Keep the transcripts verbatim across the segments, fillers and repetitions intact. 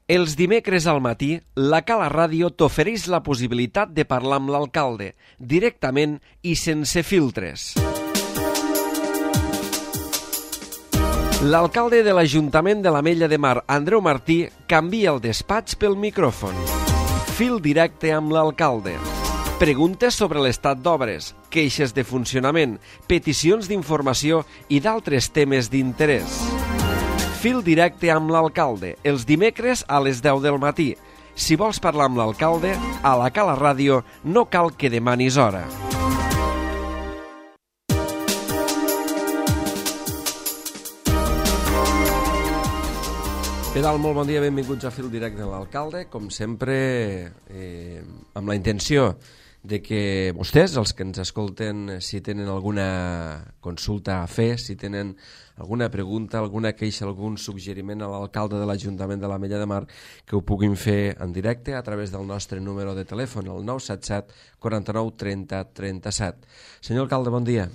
Els dimecres al matí, la Cala Ràdio t'ofereix la possibilitat de parlar amb l'alcalde, directament i sense filtres. L'alcalde de l'Ajuntament de l'Ametlla de Mar, Andreu Martí, canvia el despatx pel micròfon. Fil directe amb l'alcalde. Preguntes sobre l'estat d'obres, queixes de funcionament, peticions d'informació i d'altres temes d'interès. Fil directe amb l'alcalde, els dimecres a les deu del matí. Si vols parlar amb l'alcalde, a la Cala Ràdio no cal que demanis hora. Què tal? Molt bon dia, benvinguts a Fil directe amb l'alcalde. Com sempre, eh, amb la intenció de que vostès, els que ens escolten, si tenen alguna consulta a fer, si tenen alguna pregunta, alguna queixa, algun suggeriment a l'alcalde de l'Ajuntament de l'Ametlla de Mar, que ho puguin fer en directe a través del nostre número de telèfon, el nou set set quaranta-nou trenta trenta-set. Senyor alcalde, bon dia.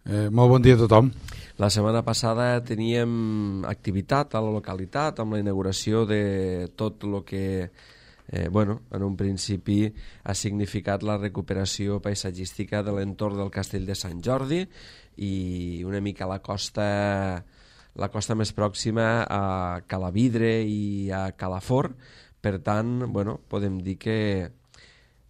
Eh, molt bon dia a tothom. La setmana passada teníem activitat a la localitat amb la inauguració de tot el que Eh, bueno, en un principi ha significat la recuperació paisatgística de l'entorn del Castell de Sant Jordi i una mica la costa, la costa més pròxima a Calavidre i a Calafort. Per tant, bueno, podem dir que,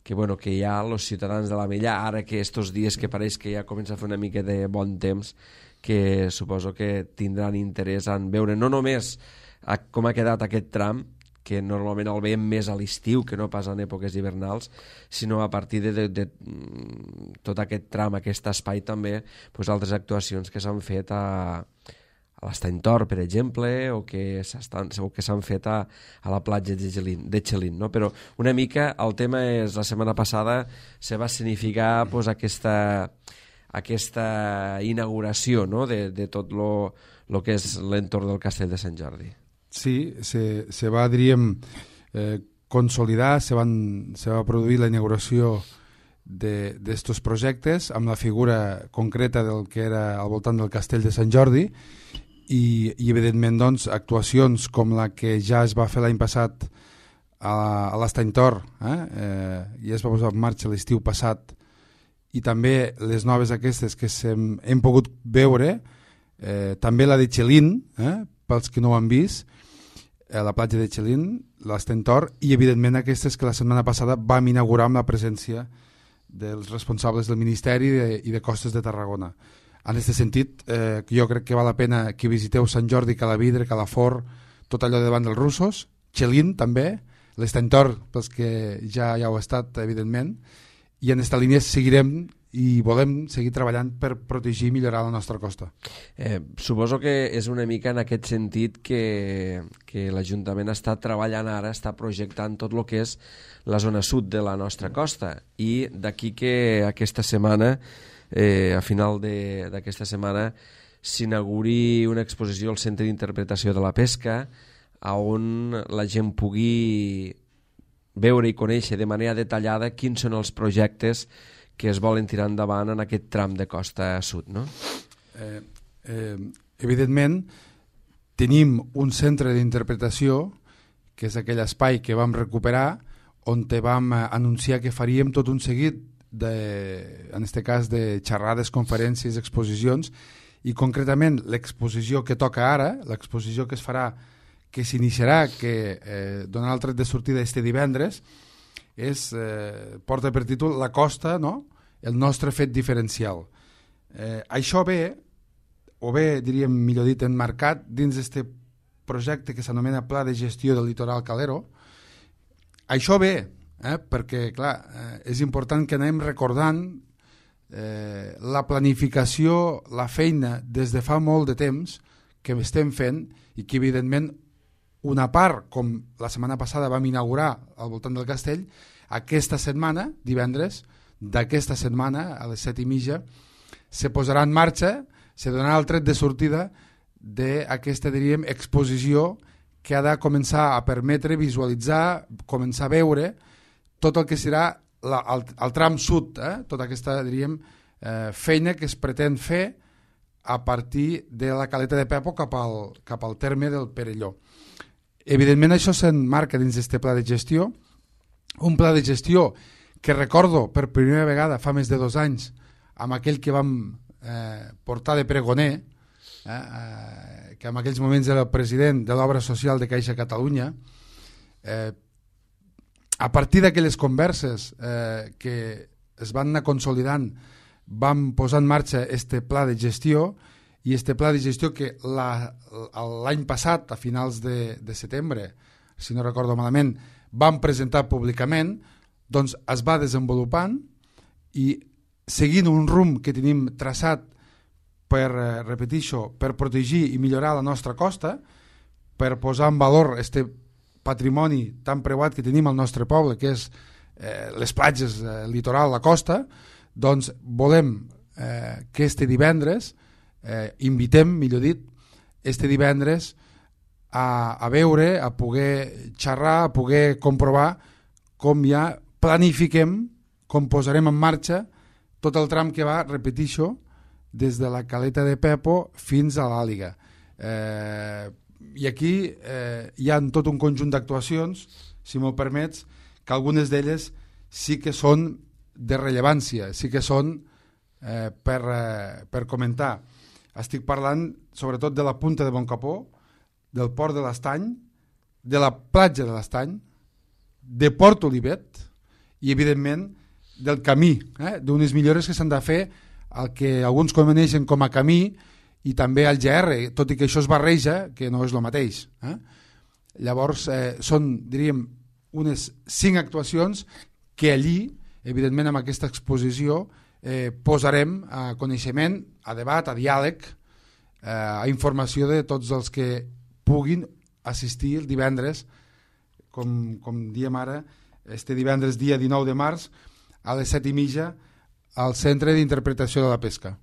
que, bueno, que ja els ciutadans de l'Ametlla, ara que estos dies que pareix que ja comença a fer una mica de bon temps, que suposo que tindran interès en veure no només a, com ha quedat aquest tram, que normalment el veiem més a l'estiu que no pas en èpoques hivernals, sinó a partir de, de, de tot aquest tram, aquest espai també, pues, altres actuacions que s'han fet a, a l'Estany Tor, per exemple, o que s'han fet a, a la platja de Xelin, de Xelin, no? Però una mica el tema és, la setmana passada se va significar pues, aquesta, aquesta inauguració, no? de, de tot lo, lo que és l'entorn del Castell de Sant Jordi. Sí, se, se va, diríem, eh, consolidar, se, van, se va produir la inauguració d'estos projectes amb la figura concreta del que era al voltant del Castell de Sant Jordi i, i evidentment, doncs, actuacions com la que ja es va fer l'any passat a, a l'Estany Tor, eh? Eh, i es va posar en marxa l'estiu passat, i també les noves aquestes que hem, hem pogut veure, eh, també la de Xelin, eh? pels que no ho han vist, a la platja de Xelin, l'Estany Tor, i evidentment aquestes que la setmana passada vam inaugurar amb la presència dels responsables del Ministeri de, i de Costes de Tarragona. En aquest sentit, eh, jo crec que val la pena que visiteu Sant Jordi, Calavidre, Calafort, tot allò davant dels russos, Xelin també, l'Estany Tor, pels que ja, ja ho ha estat, evidentment, i en aquesta línia seguirem i volem seguir treballant per protegir i millorar la nostra costa. Eh, suposo que és una mica en aquest sentit que, que l'Ajuntament està treballant ara, està projectant tot el que és la zona sud de la nostra costa, i d'aquí que aquesta setmana, eh, a final d'aquesta setmana, s'inauguri una exposició al Centre d'Interpretació de la Pesca, on la gent pugui veure i conèixer de manera detallada quins són els projectes que es volen tirar endavant en aquest tram de costa sud, no? Eh, eh, evidentment, tenim un centre d'interpretació, que és aquell espai que vam recuperar, on te vam anunciar que faríem tot un seguit, de, en aquest cas, de xerrades, conferències, exposicions, i concretament l'exposició que toca ara, l'exposició que es farà, que s'iniciarà, que eh, donarà el tret de sortida este divendres, és, eh, porta per títol La Costa, no? El nostre fet diferencial. Eh, això ve, o bé, diríem, millor dit, enmarcat dins d'aquest projecte que s'anomena Pla de Gestió del Litoral Calero. Això ve, eh, perquè, clar, eh, és important que anem recordant eh, la planificació, la feina, des de fa molt de temps, que estem fent i que, evidentment, una part, com la setmana passada vam inaugurar al voltant del castell, aquesta setmana, divendres, d'aquesta setmana, a les set i mitja, se posarà en marxa, se donarà el tret de sortida d'aquesta, diríem, exposició que ha de començar a permetre visualitzar, començar a veure tot el que serà la, el, el tram sud, eh? Tota aquesta, diríem, eh, feina que es pretén fer a partir de la Caleta de Pepo cap al, cap al terme del Perelló. evidentment això s'emmarca dins d'aquest pla de gestió, un pla de gestió que recordo per primera vegada fa més de dos anys amb aquell que vam eh, portar de pregoner, eh, eh, que en aquells moments era el president de l'obra social de Caixa Catalunya. Eh, a partir d'aquelles converses eh, que es van anar consolidant, vam posar en marxa este pla de gestió, i este pla de gestió que l'any passat, a finals de, de setembre, si no recordo malament, vam presentar públicament, doncs es va desenvolupant i seguint un rumb que tenim traçat per, eh, repetir això, per protegir i millorar la nostra costa, per posar en valor este patrimoni tan preuat que tenim al nostre poble, que és eh, les platges, eh, el litoral, la costa, doncs volem eh, que este divendres, eh, invitem, millor dit, este divendres a, a veure, a poder xerrar, a poder comprovar com ja planifiquem, com posarem en marxa tot el tram que va, repetixo, des de la Caleta de Pepo fins a l'Àliga. Eh, I aquí eh, hi ha tot un conjunt d'actuacions, si m'ho permets, que algunes d'elles sí que són de rellevància, sí que són eh, per, eh, per comentar. Estic parlant sobretot de la Punta de Boncapó, del Port de l'Estany, de la platja de l'Estany, de Port Olivet i, evidentment, del camí, eh? d'unes millores que s'han de fer el que alguns coneixen com a camí i també al G R, tot i que això es barreja, que no és el mateix. Eh? Llavors, eh, són, diríem, unes cinc actuacions que allí, evidentment, amb aquesta exposició, eh, posarem a coneixement, a debat, a diàleg, eh, a informació de tots els que puguin assistir el divendres, com, com diem ara, este divendres dia dinou de març, a les set i mitja, al Centre d'Interpretació de la Pesca.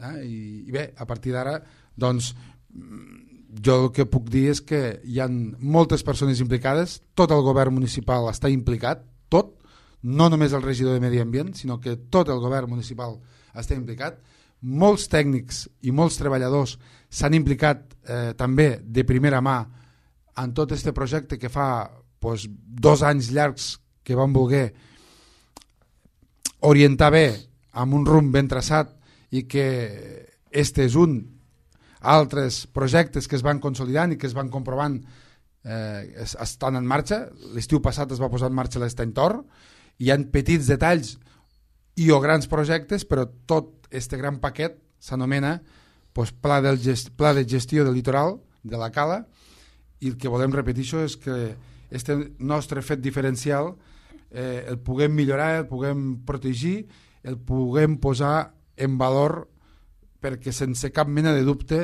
Eh? I, I bé, a partir d'ara, doncs, jo el que puc dir és que hi ha moltes persones implicades, tot el govern municipal està implicat, tot, no només el regidor de Medi Ambient, sinó que tot el govern municipal està implicat, molts tècnics i molts treballadors s'han implicat eh, també de primera mà en tot este projecte que fa doncs, dos anys llargs que van voler orientar bé amb un rumb ben traçat i que este és un, altres projectes que es van consolidant i que es van comprovant eh, es, estan en marxa. L'estiu passat es va posar en marxa l'Estany Tor, hi ha petits detalls i o grans projectes, però tot este gran paquet s'anomena pues, pla, del gest, pla de gestió del litoral de la Cala, i el que volem repetir això és que este nostre fet diferencial eh, el puguem millorar, el puguem protegir, el puguem posar en valor, perquè sense cap mena de dubte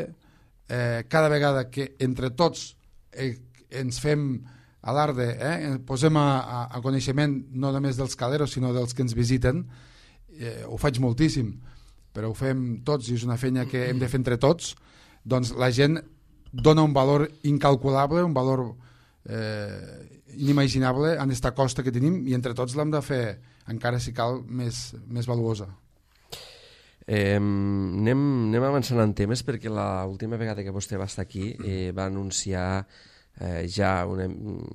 eh, cada vegada que entre tots eh, ens fem alarde, eh, posem a, a, a coneixement no només dels caleros sinó dels que ens visiten, eh, ho faig moltíssim, però ho fem tots i és una feina que hem de fer entre tots, doncs la gent dona un valor incalculable, un valor eh, inimaginable en esta costa que tenim i entre tots l'hem de fer encara si cal més, més valuosa. Eh, anem, anem avançant en temes perquè l'última vegada que vostè va estar aquí eh, va anunciar eh, ja una,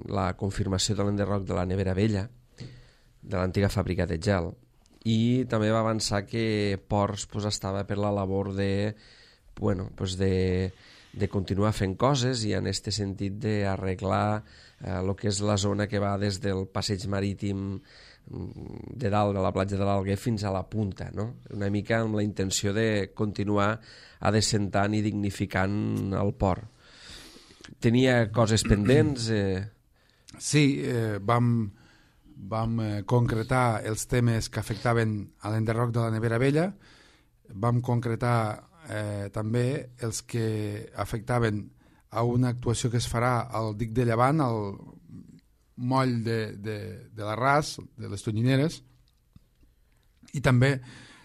la confirmació de l'enderroc de la nevera vella de l'antiga fàbrica de gel i també va avançar que Ports pues, estava per la labor de, bueno, pues de, de continuar fent coses i en aquest sentit d'arreglar el eh, que és la zona que va des del passeig marítim de dalt de la platja de l'Alguer fins a la punta, no? Una mica amb la intenció de continuar adecentant i dignificant el port. Tenia coses pendents? Eh... Sí, eh, vam, vam eh, concretar els temes que afectaven a l'enderroc de la nevera vella, vam concretar eh, també els que afectaven a una actuació que es farà al dic de Llevant, al moll de, de, de l'Arràs, de les Tonyineres, i també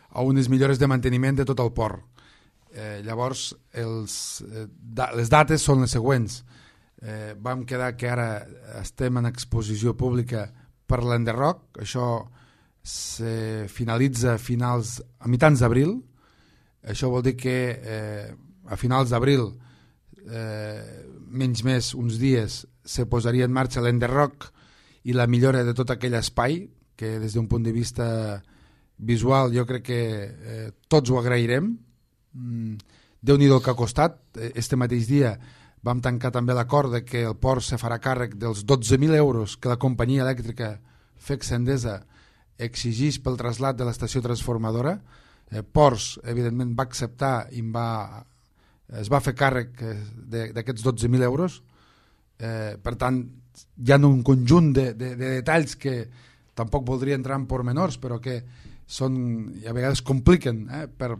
a unes millores de manteniment de tot el port. Eh, llavors, els, eh, da, les dates són les següents. Eh, vam quedar que ara estem en exposició pública per l'enderroc, això se finalitza a, finals, a mitjans d'abril, això vol dir que eh, a finals d'abril eh, menys més uns dies se posaria en marxa l'enderroc i la millora de tot aquell espai, que des d'un punt de vista visual jo crec que eh, tots ho agrairem. Mm, Déu-n'hi-do el que ha costat. Este mateix dia vam tancar també l'acord de que el port se farà càrrec dels dotze mil euros que la companyia elèctrica Fexe Endesa exigís pel trasllat de l'estació transformadora. Eh, Ports, evidentment, va acceptar i va, es va fer càrrec d'aquests dotze mil euros. Eh, per tant, hi ha un conjunt de, de, de detalls que tampoc voldria entrar en pormenors, però que són, a vegades compliquen eh, per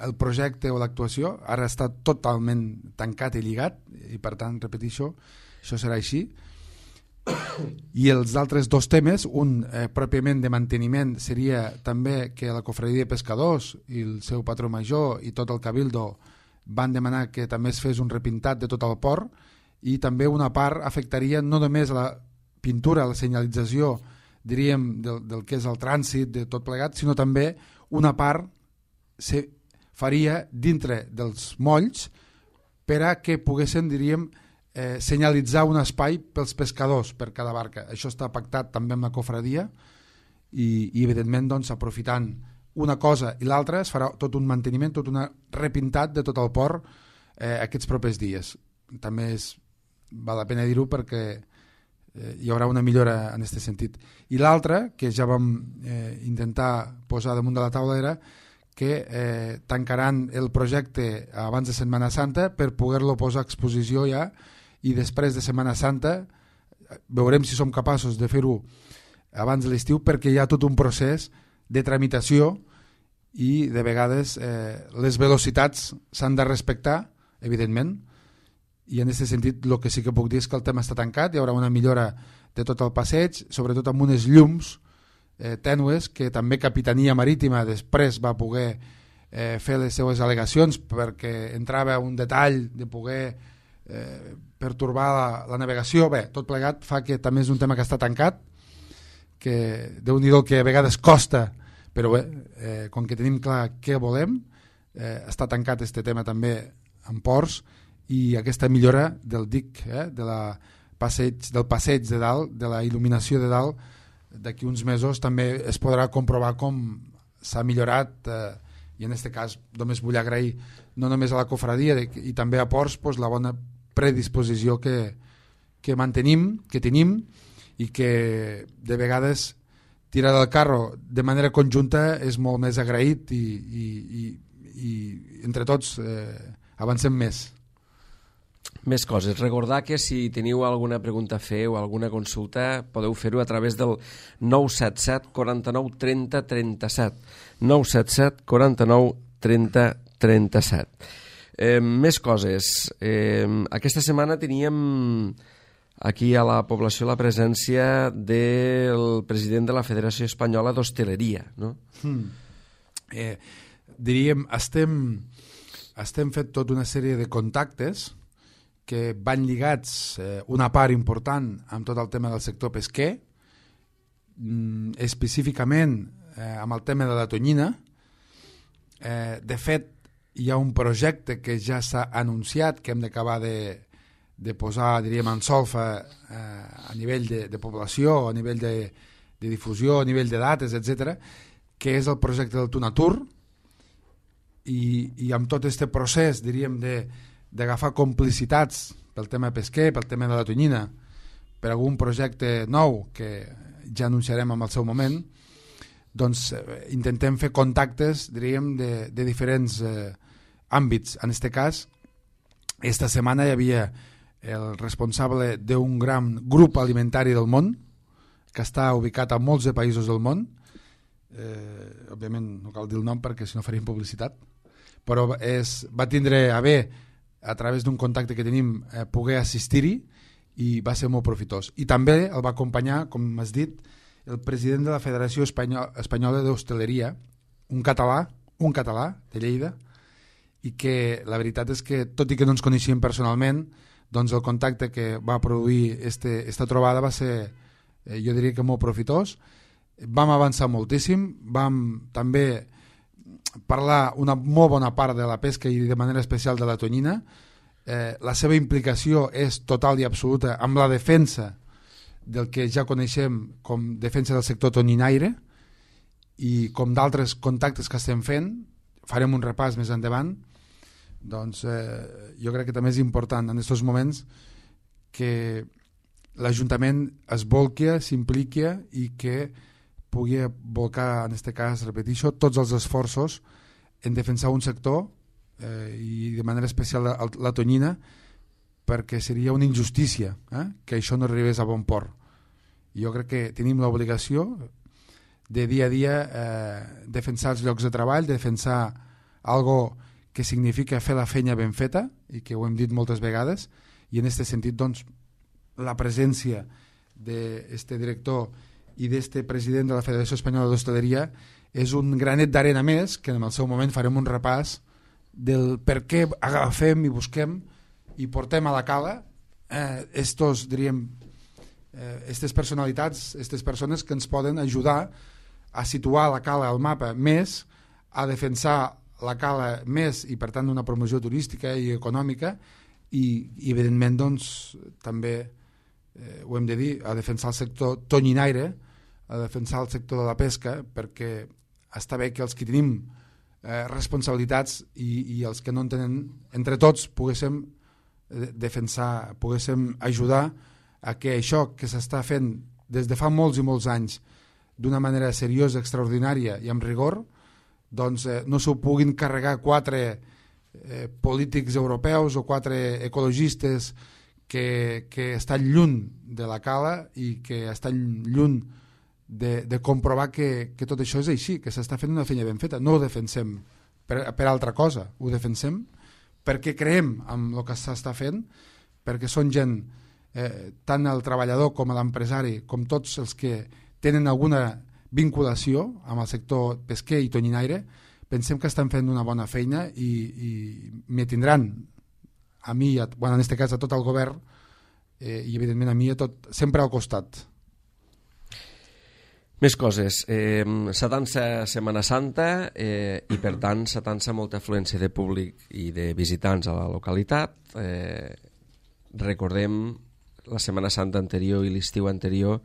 el projecte o l'actuació. Ara està totalment tancat i lligat i per tant, repeteixo, això serà així. I els altres dos temes, un eh, pròpiament de manteniment, seria també que la Cofradia de Pescadors i el seu patró major i tot el Cabildo van demanar que també es fes un repintat de tot el port, i també una part afectaria no només a la pintura, a la senyalització, diríem, del, del que és el trànsit, de tot plegat, sinó també una part se faria dintre dels molls per a que poguessin, diríem, eh, senyalitzar un espai pels pescadors per cada barca. Això està pactat també amb la cofradia i, i evidentment, doncs, aprofitant una cosa i l'altra, es farà tot un manteniment, tot un repintat de tot el port eh, aquests propers dies. També és, val la pena dir-ho perquè eh, hi haurà una millora en aquest sentit. I l'altra, que ja vam eh, intentar posar damunt de la taula, era que eh, tancaran el projecte abans de Setmana Santa per poder-lo posar a exposició ja, i després de Setmana Santa veurem si som capaços de fer-ho abans de l'estiu, perquè hi ha tot un procés de tramitació i de vegades eh, les velocitats s'han de respectar, evidentment, i en aquest sentit el que sí que puc dir és que el tema està tancat, hi haurà una millora de tot el passeig, sobretot amb unes llums eh, tènues que també Capitania Marítima després va poder eh, fer les seues al·legacions perquè entrava un detall de poder eh, pertorbar la, la navegació. Bé, tot plegat fa que també és un tema que està tancat, que Déu-n'hi-do que a vegades costa, però bé, eh, com que tenim clar què volem, eh, està tancat este tema també en ports, i aquesta millora del dic, eh, de la passeig, del passeig de dalt, de la il·luminació de dalt, d'aquí uns mesos també es podrà comprovar com s'ha millorat, eh, i en aquest cas només vull agrair no només a la cofradia de, i també a Ports pues, la bona predisposició que, que mantenim, que tenim, i que de vegades tirar del carro de manera conjunta és molt més agraït i, i, i, i entre tots eh, avancem més. Més coses. Recordar que si teniu alguna pregunta a fer o alguna consulta podeu fer-ho a través del nou set set quaranta-nou trenta trenta-set. nou set set quaranta-nou trenta trenta-set. Eh, més coses. Eh, aquesta setmana teníem aquí a la població la presència del president de la Federació Espanyola d'Hostaleria, no? Hmm. Eh, diríem, estem, estem fet tota una sèrie de contactes que van lligats eh, una part important amb tot el tema del sector pesquer, mm, específicament eh, amb el tema de la tonyina. Eh, de fet, hi ha un projecte que ja s'ha anunciat que hem d'acabar de de posar, diríem, en solfa eh, a nivell de, de població, a nivell de, de difusió, a nivell de dates, etcètera, que és el projecte del Tunatur, i, i amb tot aquest procés, diríem, d'agafar complicitats pel tema pesquer, pel tema de la tonyina, per algun projecte nou que ja anunciarem en el seu moment, doncs eh, intentem fer contactes, diríem, de, de diferents eh, àmbits. En aquest cas, esta setmana hi havia el responsable d'un gran grup alimentari del món, que està ubicat a molts de països del món, eh, òbviament no cal dir el nom perquè si no faríem publicitat, però és, va tindre a bé, a través d'un contacte que tenim, eh, poder assistir-hi, i va ser molt profitós. I també el va acompanyar, com has dit, el president de la Federació Espanyola, Espanyola d'Hostaleria, un català, un català de Lleida, i que la veritat és que, tot i que no ens coneixíem personalment, doncs el contacte que va produir este, esta trobada va ser, eh, jo diria que molt profitós. Vam avançar moltíssim, vam també parlar una molt bona part de la pesca i de manera especial de la tonyina. eh, la seva implicació és total i absoluta amb la defensa del que ja coneixem com defensa del sector tonyinaire, i com d'altres contactes que estem fent, farem un repàs més endavant. Doncs eh, jo crec que també és important en aquests moments que l'Ajuntament es volqui, s'impliqui i que pugui volcar, en aquest cas, repeteixo, tots els esforços en defensar un sector eh, i de manera especial la, la tonyina, perquè seria una injustícia eh, que això no arribés a bon port. Jo crec que tenim l'obligació de dia a dia eh, defensar els llocs de treball, defensar algo que significa fer la feina ben feta, i que ho hem dit moltes vegades, i en aquest sentit doncs, la presència d'aquest director i d'aquest president de la Federació Espanyola d'Hostaleria és un granet d'arena més, que en el seu moment farem un repàs del per què agafem i busquem i portem a la cala eh, estos, diríem, eh, estes personalitats, aquestes persones que ens poden ajudar a situar la cala al mapa més, a defensar la cala més i per tant una promoció turística i econòmica, i, i evidentment doncs, també eh, ho hem de dir, a defensar el sector tonyinaire, a defensar el sector de la pesca, perquè està bé que els que tenim eh, responsabilitats i, i els que no en tenen, entre tots poguéssim eh, defensar, poguéssim ajudar a que això que s'està fent des de fa molts i molts anys d'una manera seriosa, extraordinària i amb rigor, doncs eh, no s'ho puguin carregar quatre eh, polítics europeus o quatre ecologistes que, que estan lluny de la cala i que estan lluny de, de comprovar que, que tot això és així, que s'està fent una feina ben feta. No ho defensem per, per altra cosa, ho defensem perquè creiem en el que s'està fent, perquè són gent, eh, tant el treballador com l'empresari, com tots els que tenen alguna vinculació amb el sector pesquer i tonyinaire, pensem que estan fent una bona feina i, i me tindran a mi, a, bueno, en aquest cas a tot el govern eh, i evidentment a mi a tot, sempre al costat. Més coses. Eh, s'atança Setmana Santa eh, i per tant s'atança molta afluència de públic i de visitants a la localitat. Eh, recordem la Setmana Santa anterior i l'estiu anterior,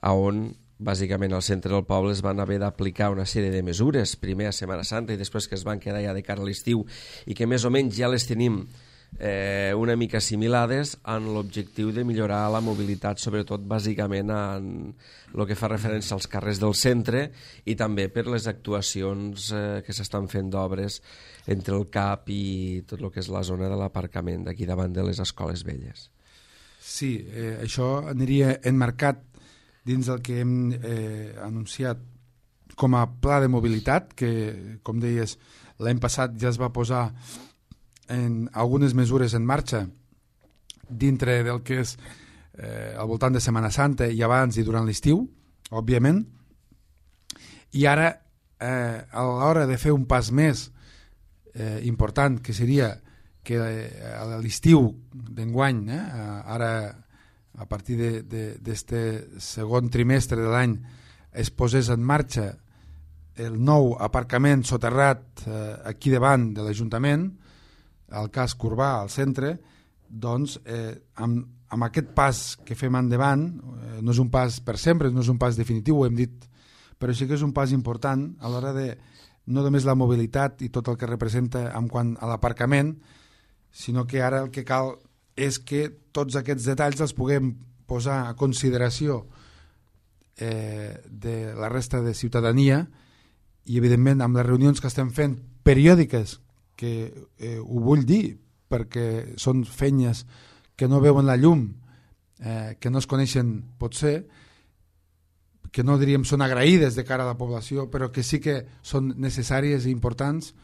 on bàsicament al centre del poble es van haver d'aplicar una sèrie de mesures, primer a Setmana Santa i després que es van quedar ja de cara a l'estiu i que més o menys ja les tenim eh, una mica assimilades en l'objectiu de millorar la mobilitat, sobretot bàsicament en el que fa referència als carrers del centre i també per les actuacions eh, que s'estan fent d'obres entre el C A P i tot el que és la zona de l'aparcament d'aquí davant de les escoles velles. Sí, eh, això aniria enmarcat dins del que hem eh, anunciat com a pla de mobilitat, que, com deies, l'any passat ja es va posar en algunes mesures en marxa dintre del que és eh, al voltant de Setmana Santa i abans i durant l'estiu, òbviament, i ara eh, a l'hora de fer un pas més eh, important, que seria que eh, a l'estiu d'enguany, eh, ara a partir d'aquest segon trimestre de l'any es posés en marxa el nou aparcament soterrat eh, aquí davant de l'Ajuntament, al casc urbà, al centre, doncs eh, amb, amb aquest pas que fem endavant, eh, no és un pas per sempre, no és un pas definitiu, ho hem dit, però sí que és un pas important a l'hora de no només la mobilitat i tot el que representa en quant a l'aparcament, sinó que ara el que cal és que tots aquests detalls els puguem posar a consideració eh, de la resta de ciutadania i evidentment amb les reunions que estem fent periòdiques, que eh, ho vull dir perquè són feines que no veuen la llum, eh, que no es coneixen potser, que no diríem són agraïdes de cara a la població, però que sí que són necessàries i importants,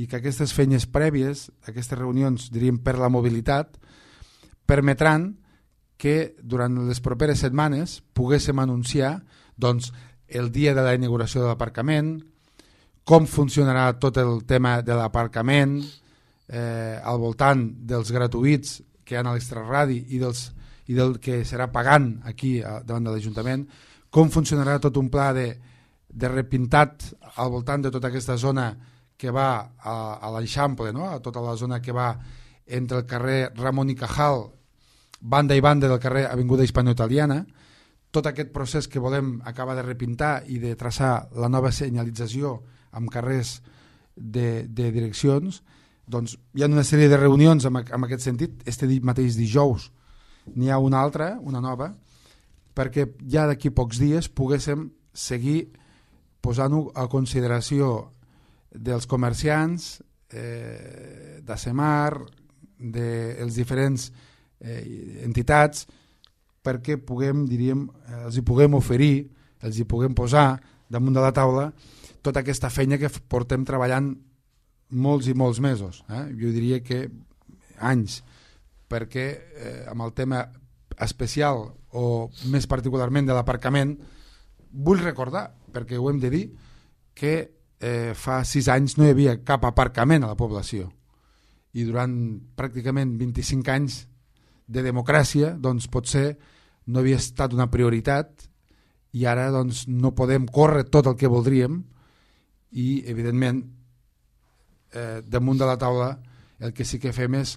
i que aquestes feines prèvies, aquestes reunions, diríem, per la mobilitat, permetran que durant les properes setmanes poguéssim anunciar doncs, el dia de la inauguració de l'aparcament, com funcionarà tot el tema de l'aparcament, eh, al voltant dels gratuïts que hi ha a l'extraradi i, dels, i del que serà pagant aquí a, davant de l'Ajuntament, com funcionarà tot un pla de, de repintat al voltant de tota aquesta zona que va a, a l'Eixample, no? A tota la zona que va entre el carrer Ramon i Cajal, banda i banda del carrer Avinguda Hispano-Italiana. Tot aquest procés que volem acabar de repintar i de traçar la nova senyalització amb carrers de, de direccions, doncs hi ha una sèrie de reunions en, en aquest sentit. Este mateix dijous n'hi ha una altra, una nova, perquè ja d'aquí pocs dies poguéssim seguir posant-ho a consideració dels comerciants, eh, d'Acemar, dels diferents eh, entitats, perquè puguem, diríem, els hi puguem oferir, els hi puguem posar damunt de la taula tota aquesta feina que portem treballant molts i molts mesos, eh? Jo diria que anys, perquè eh, amb el tema especial o més particularment de l'aparcament, vull recordar, perquè ho hem de dir, que eh, fa sis anys no hi havia cap aparcament a la població i durant pràcticament vint-i-cinc anys de democràcia doncs potser no havia estat una prioritat i ara doncs no podem córrer tot el que voldríem i evidentment eh, damunt de la taula el que sí que fem és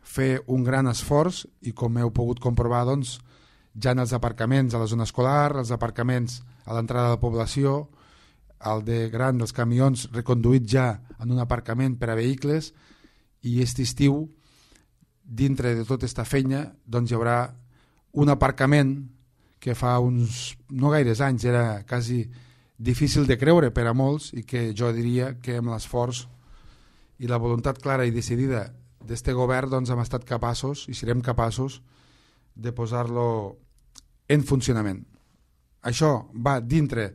fer un gran esforç i com heu pogut comprovar doncs ja en els aparcaments a la zona escolar, els aparcaments a l'entrada de la població, el de gran dels camions reconduït ja en un aparcament per a vehicles i aquest estiu dintre de tota aquesta feina doncs hi haurà un aparcament que fa uns no gaires anys era quasi difícil de creure per a molts i que jo diria que amb l'esforç i la voluntat clara i decidida d'este govern doncs hem estat capaços i serem capaços de posar-lo en funcionament. Això va dintre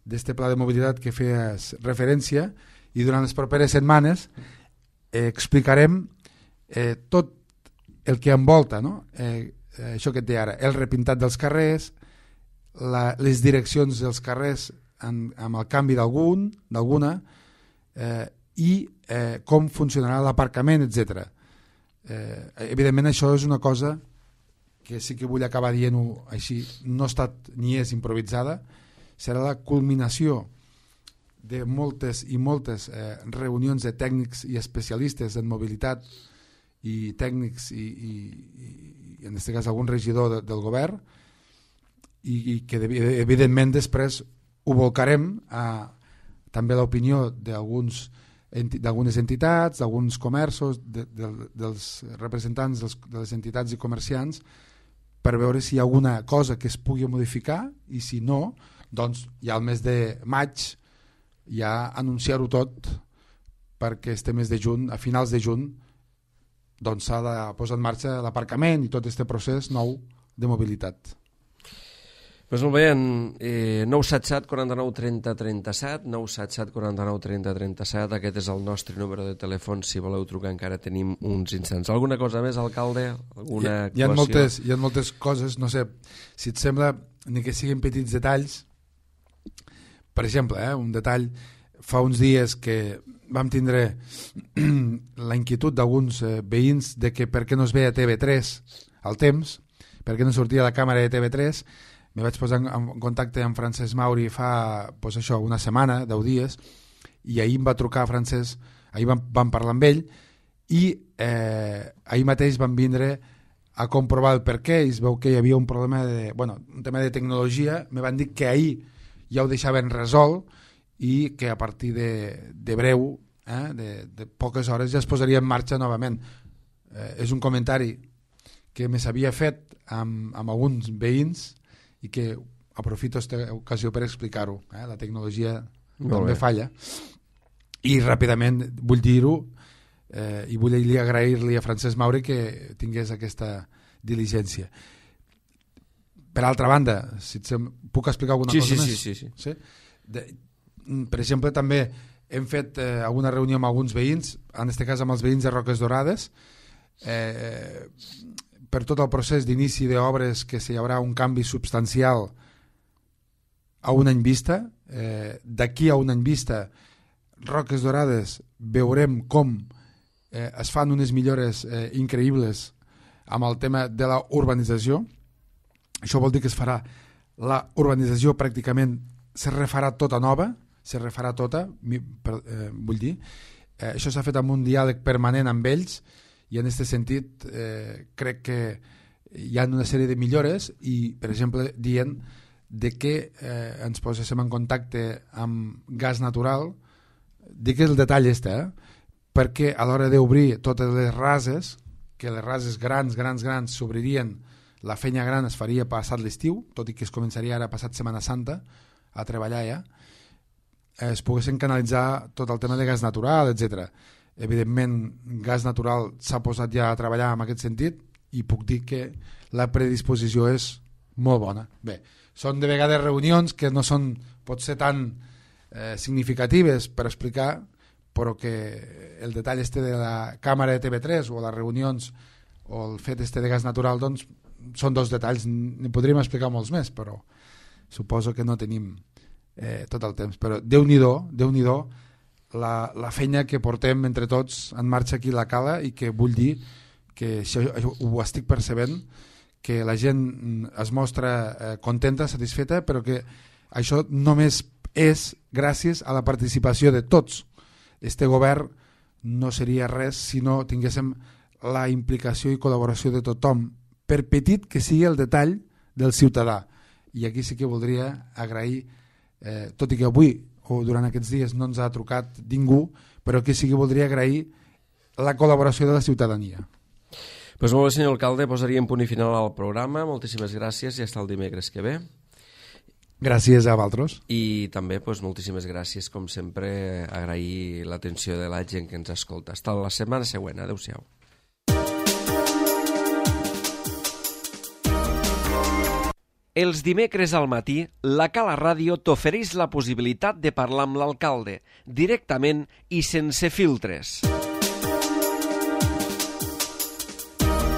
d'este pla de mobilitat que feies referència i durant les properes setmanes eh, explicarem eh, tot el que envolta, no? eh, eh, això que et deia ara, el repintat dels carrers, la, les direccions dels carrers en, amb el canvi d'algun, d'alguna, eh, i eh, com funcionarà l'aparcament, etcètera. Eh, evidentment això és una cosa que sí que vull acabar dient-ho així, no ha estat ni és improvisada, serà la culminació de moltes i moltes eh, reunions de tècnics i especialistes en mobilitat i tècnics i, i, i en aquest cas algun regidor de, del govern i, i que evidentment després ho volcarem a també l'opinió d'alguns d'algunes entitats, d'alguns comerços, de, de, dels representants dels, de les entitats i comerciants per veure si hi ha alguna cosa que es pugui modificar i si no, doncs ja al mes de maig ja anunciar-ho tot perquè este mes de juny, a finals de juny doncs s'ha de posar en marxa l'aparcament i tot este procés nou de mobilitat. Pues molt bé, en eh, nou set set quaranta-nou trenta trenta-set, nou set set quaranta-nou trenta trenta-set, aquest és el nostre número de telèfon, si voleu trucar encara tenim uns instants. Alguna cosa més, alcalde? Alguna hi, hi, ha moltes, hi ha moltes coses, no sé, si et sembla, ni que siguin petits detalls, per exemple, eh, un detall, fa uns dies que vam tindre la inquietud d'alguns eh, veïns de que per què no es veia T V tres al temps, per què no sortia la càmera de T V tres. Me vaig posar en contacte amb Francesc Mauri fa pues això, una setmana, deu dies, i ahir em va trucar Francesc, ahir vam, vam parlar amb ell, i eh, ahir mateix vam vindre a comprovar el per què, i es veu que hi havia un problema de, bueno, un tema de tecnologia, me van dir que ahir ja ho deixaven resolt, i que a partir de, de breu, eh, de, de poques hores, ja es posaria en marxa novament. Eh, és un comentari que me s'havia fet amb, amb alguns veïns, i que aprofito aquesta ocasió per explicar-ho. Eh? La tecnologia també falla. I ràpidament vull dir-ho eh, i vull agrair-li a Francesc Mauri que tingués aquesta diligència. Per altra banda, si et sem... puc explicar alguna sí, cosa sí, més? Sí, sí, sí. sí? De... Per exemple, també hem fet eh, alguna reunió amb alguns veïns, en aquest cas amb els veïns de Roques Dorades, eh, per tot el procés d'inici d'obres que hi haurà un canvi substancial a un any vista. Eh, d'aquí a un any vista, Roques Dorades veurem com eh, es fan unes millores eh, increïbles amb el tema de la urbanització. Això vol dir que es farà la urbanització pràcticament se refarà tota nova, se refarà tota, per, eh, vull dir. Eh, això s'ha fet amb un diàleg permanent amb ells i en aquest sentit eh, crec que hi ha una sèrie de millores i, per exemple, dient de que eh, ens poséssim en contacte amb gas natural. Dic el detall este, eh? perquè a l'hora d'obrir totes les rases, que les rases grans, grans, grans s'obririen, la feina gran es faria passat l'estiu, tot i que es començaria ara passat Setmana Santa a treballar ja, es poguessin canalitzar tot el tema de gas natural, etcètera. Evidentment, gas natural s'ha posat ja a treballar en aquest sentit i puc dir que la predisposició és molt bona. Bé, són de vegades reunions que no són potser tan eh, significatives per explicar, però que el detall este de la càmera de T V tres o les reunions o el fet este de gas natural, doncs són dos detalls, n'hi podríem explicar molts més, però suposo que no tenim eh, tot el temps. Però Déu-n'hi-do, Déu-n'hi-do la, la feina que portem entre tots en marxa aquí a la Cala, i que vull dir que això, això ho estic percebent, que la gent es mostra eh, contenta, satisfeta, però que això només és gràcies a la participació de tots. Este govern no seria res si no tinguéssim la implicació i col·laboració de tothom, per petit que sigui el detall del ciutadà. I aquí sí que voldria agrair, eh, tot i que avui o durant aquests dies no ens ha trucat ningú, però que sí que voldria agrair la col·laboració de la ciutadania. Pues molt bé, senyor alcalde, posaríem punt i final al programa. Moltíssimes gràcies i fins el dimecres que ve. Gràcies a vosaltres. I també pues, moltíssimes gràcies, com sempre, agrair l'atenció de la gent que ens escolta. Fins la setmana següent. Adéu-siau. Els dimecres al matí, la Cala Ràdio t'ofereix la possibilitat de parlar amb l'alcalde, directament i sense filtres.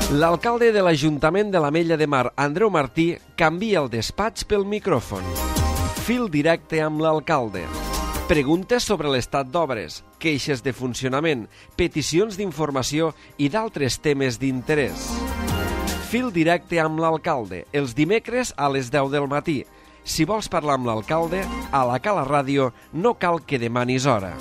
L'alcalde de l'Ajuntament de l'Ametlla de Mar, Andreu Martí, canvia el despatx pel micròfon. Fil directe amb l'alcalde. Preguntes sobre l'estat d'obres, queixes de funcionament, peticions d'informació i d'altres temes d'interès. Fil directe amb l'alcalde, els dimecres a les deu del matí. Si vols parlar amb l'alcalde, a la Cala Ràdio no cal que demanis hora.